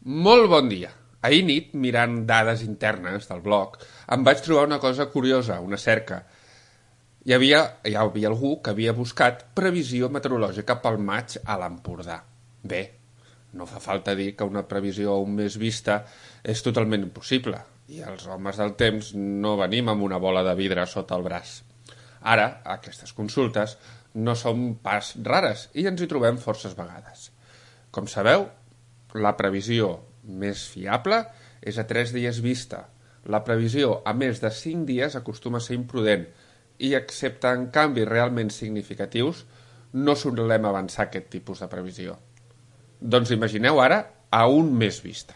Molt bon dia. Ahir nit, mirant dades internes del blog, em vaig trobar una cosa curiosa, una cerca. Hi havia algú que havia buscat previsió meteorològica pel maig a l'Empordà. Bé, no fa falta dir que una previsió a un mes vista és totalment impossible, i els homes del temps no venim amb una bola de vidre sota el braç. Ara, aquestes consultes no són pas rares i ens hi trobem forces vegades. Com sabeu, la previsió més fiable és a 3 dies vista. La previsió a més de 5 dies acostuma a ser imprudent i, excepte en canvis realment significatius, no solem avançar aquest tipus de previsió. Doncs imagineu ara a un mes vista.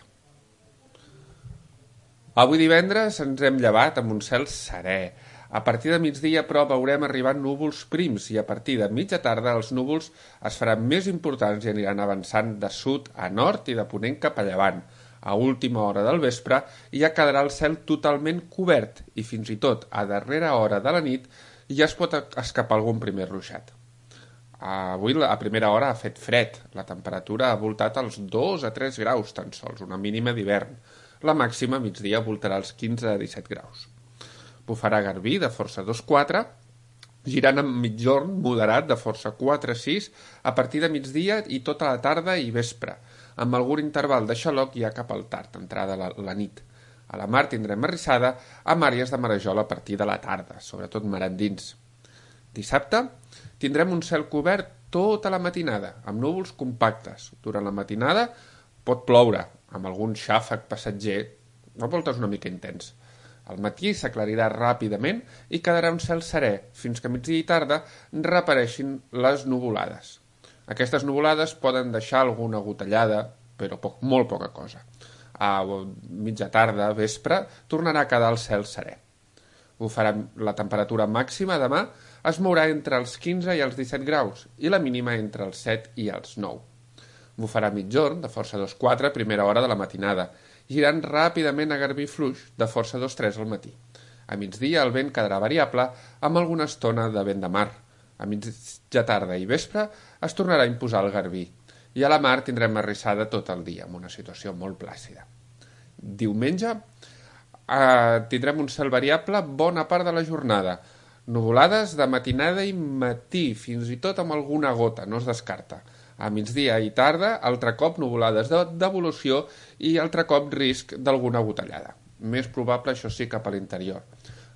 Avui divendres ens hem llevat amb un cel serè. A partir de migdia, però, veurem arribar núvols prims i a partir de mitja tarda els núvols es faran més importants i aniran avançant de sud a nord i de ponent cap a llevant. A última hora del vespre ja quedarà el cel totalment cobert i fins i tot a darrera hora de la nit ja es pot escapar algun primer ruixat. Avui a primera hora ha fet fred, la temperatura ha voltat als 2 a 3 graus tan sols, una mínima d'hivern. La màxima a migdia voltarà als 15 a 17 graus. Bufarà garbí de força 2-4, girant amb migjorn moderat de força 4-6 a partir de migdia i tota la tarda i vespre, amb algun interval de xaloc ja cap al tard, entrada la nit. A la mar tindrem arrissada amb àrees de marejol a partir de la tarda, sobretot mar endins. Dissabte tindrem un cel cobert tota la matinada, amb núvols compactes. Durant la matinada pot ploure, amb algun xàfec passatger, a voltes una mica intens. Al matí s'aclarirà ràpidament i quedarà un cel serè, fins que a migdia i tarda reapareixin les nuvolades. Aquestes nuvolades poden deixar alguna gotellada, però molt poca cosa. A mitja tarda, vespre, tornarà a quedar el cel serè. La temperatura màxima demà es mourà entre els 15 i els 17 graus i la mínima entre els 7 i els 9. Bufarà migjorn, de força 2-4, primera hora de la matinada, girant ràpidament a garbí fluix, de força 2-3 al matí. A migdia el vent quedarà variable, amb alguna estona de vent de mar. A mitja tarda i vespre es tornarà a imposar el garbí, i a la mar tindrem arrissada tot el dia, amb una situació molt plàcida. Diumenge tindrem un cel variable bona part de la jornada, nuvolades de matinada i matí, fins i tot amb alguna gota, no es descarta. A migdia i tarda, altre cop nuvolades d'evolució i altre cop risc d'alguna gotellada. Més probable, això sí, cap a l'interior.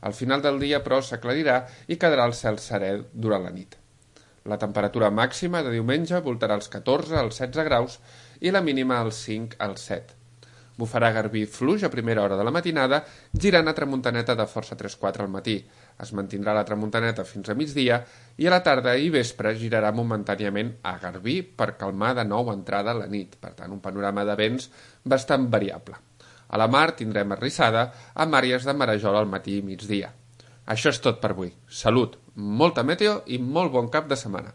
Al final del dia, però, s'aclarirà i quedarà el cel serè durant la nit. La temperatura màxima de diumenge voltarà als 14 als 16 graus i la mínima als 5 als 7. Bufarà garbí fluix a primera hora de la matinada, girant a tramuntaneta de força 3-4 al matí. Es mantindrà la tramuntaneta fins a migdia i a la tarda i vespre girarà momentàniament a garbí per calmar de nou entrada a la nit. Per tant, un panorama de vents bastant variable. A la mar tindrem arrissada amb àrees de marejol al matí i migdia. Això és tot per avui. Salut, molta meteo i molt bon cap de setmana.